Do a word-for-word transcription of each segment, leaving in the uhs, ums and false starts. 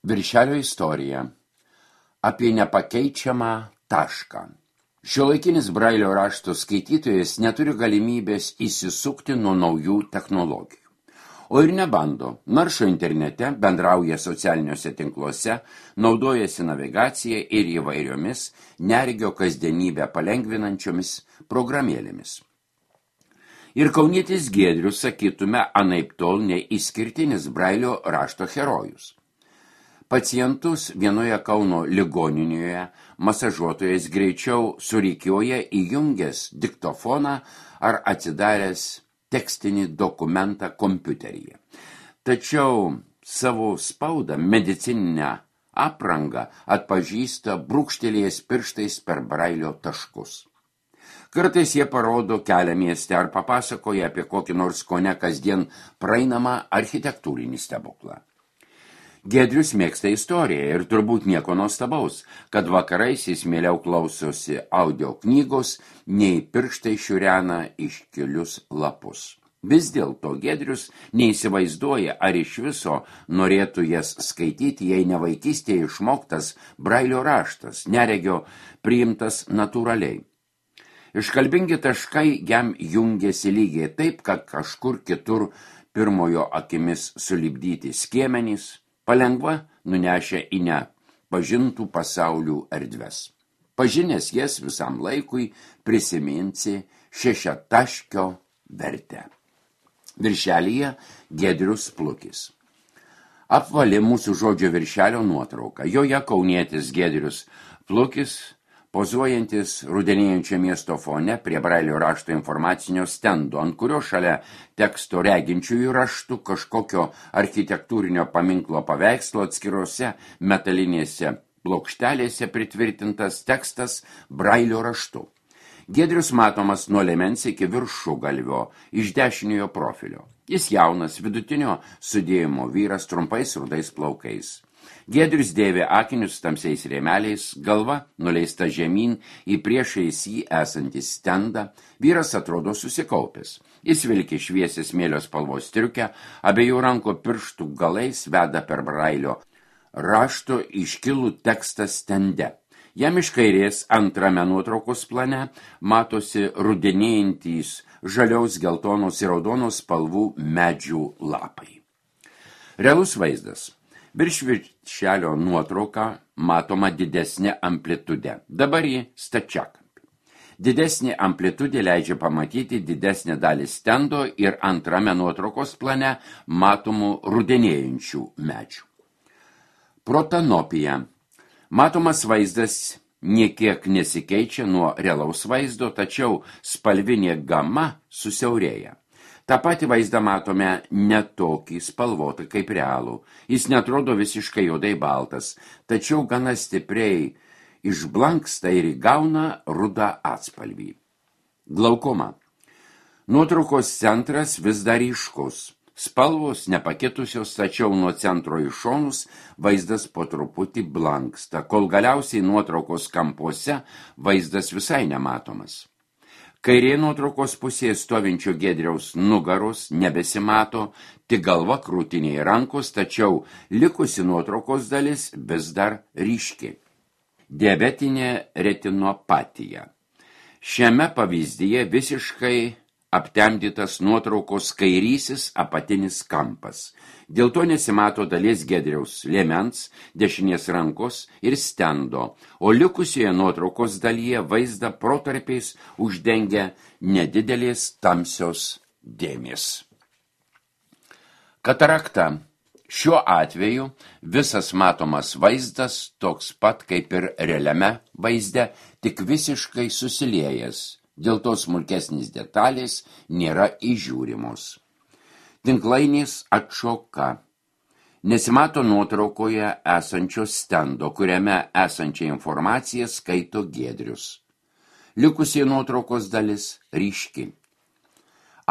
Viršelio istorija apie nepakeičiamą tašką. Šiuolaikinis Brailio rašto skaitytojas neturi galimybės įsisukti nuo naujų technologijų. O ir nebando, naršo internete, bendrauja socialiniuose tinkluose, naudojasi navigacija ir įvairiomis neregio kasdienybę palengvinančiomis programėlėmis. Ir kaunietis Giedrius, sakytume, anaiptol neišskirtinis Brailio rašto herojus. Pacientus vienoje Kauno ligoninėje masažuotojas greičiau surikioja įjungęs diktofoną ar atsidaręs tekstinį dokumentą kompiuteryje. Tačiau savo spaudą medicininę aprangą atpažįsta brūkštelėjęs pirštais per Brailio taškus. Kartais jie parodo kelią mieste ar papasakoja apie kokį nors kone kasdien praeinamą architektūrinį stebuklą. Giedrius mėgsta istoriją ir turbūt nieko nuostabaus, kad vakarais jis mieliau klausosi audio knygos, nei pirštai šiurena iškilius lapus. Vis dėlto Giedrius neįsivaizduoja, ar iš viso norėtų jas skaityti, jei ne vaikystėje išmoktas Brailio raštas, neregio priimtas natūraliai. Iškalbingi taškai jam jungiasi lygiai taip, kad kažkur kitur pirmojo akimis sulipdyti skiemenys, palengva nunešę į ne pažintų pasaulių erdves. Pažinęs jas visam laikui prisiminsi šešiataškio vertę. Viršelyje Giedrius Plukis. Apvali mūsų žodžio viršelio nuotrauka. Joje kaunietis Giedrius Plukis, pozuojantis rudenėjančio miesto fone prie Brailio rašto informacinio stendo, ant kurio šalia teksto reginčiųjų raštų kažkokio architektūrinio paminklo paveikslo atskirose metalinėse plokštelėse pritvirtintas tekstas Brailio raštu. Giedrius matomas nuo liemens iki viršugalvio iš dešiniojo profilio. Jis jaunas, vidutinio sudėjimo vyras trumpais rudais plaukais. Giedrius dėvi akinius tamsiais rėmeliais, galva nuleista žemyn į priešais jį esantį stendą, vyras atrodo susikaupęs. Jis vilki šviesią smėlio spalvos striukę, abiejų rankų pirštų galais veda per Brailio rašto iškilų tekstą stende. Jam iš kairės antrame nuotraukos plane matosi rudenėjantys žaliaus, geltonos ir raudonos spalvų medžių lapai. Realus vaizdas. Virš viršelio nuotrauka matoma didesnė amplitudė. Dabar ji stačiakampė. Didesnė amplitudė leidžia pamatyti didesnę dalį stendo ir antrame nuotraukos plane matomų rudenėjančių medžių. Protanopija. Matomas vaizdas niekiek nesikeičia nuo realaus vaizdo, tačiau spalvinė gama susiaurėja. Ta pati vaizdą matome ne tokį spalvotą kaip realų. Jis netrodo visiškai juodai baltas, tačiau gana stipriai išblanksta ir įgauna rudą atspalvį. Glaukoma. Nuotraukos centras vis dar ryškus. Spalvos nepakitusios, tačiau nuo centro į šonus vaizdas po truputį blanksta, kol galiausiai nuotraukos kampuose vaizdas visai nematomas. Kairė nuotraukos pusėje stovinčio Giedriaus nugaros nebesimato, tik galva, krūtiniai rankos, tačiau likusi nuotraukos dalis vis dar ryški. Diabetinė retinopatija. Šiame pavyzdyje visiškai aptemdytas nuotraukos kairysis apatinis kampas. Dėl to nesimato dalies Giedriaus liemens, dešinės rankos ir stendo, o likusioje nuotraukos dalyje vaizdą protarpiais uždengia nedidelės tamsios dėmės. Katarakta. Šiuo atveju visas matomas vaizdas toks pat kaip ir realiame vaizde, tik visiškai susiliejęs. Dėl to smulkesnės detalės nėra įžiūrimos. Tinklainės atšoka. Nesimato nuotraukoje esančio stendo, kuriame esančią informaciją skaito Giedrius. Likusi nuotraukos dalis ryški.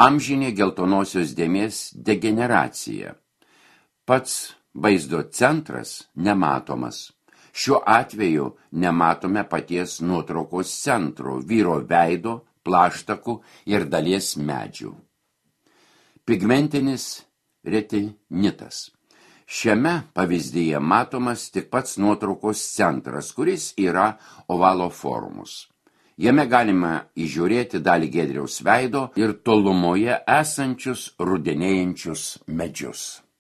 Amžinė geltonosios dėmės degeneracija. Pats vaizdo centras nematomas. Šiuo atveju nematome paties nuotraukos centro, vyro veido, plaštakų ir dalies medžių. Pigmentinis retinitas. Šiame pavyzdyje matomas tik pats nuotraukos centras, kuris yra ovalo formos. Jame galima įžiūrėti dalį Giedriaus veido ir tolumoje esančius rudenėjančius medžius.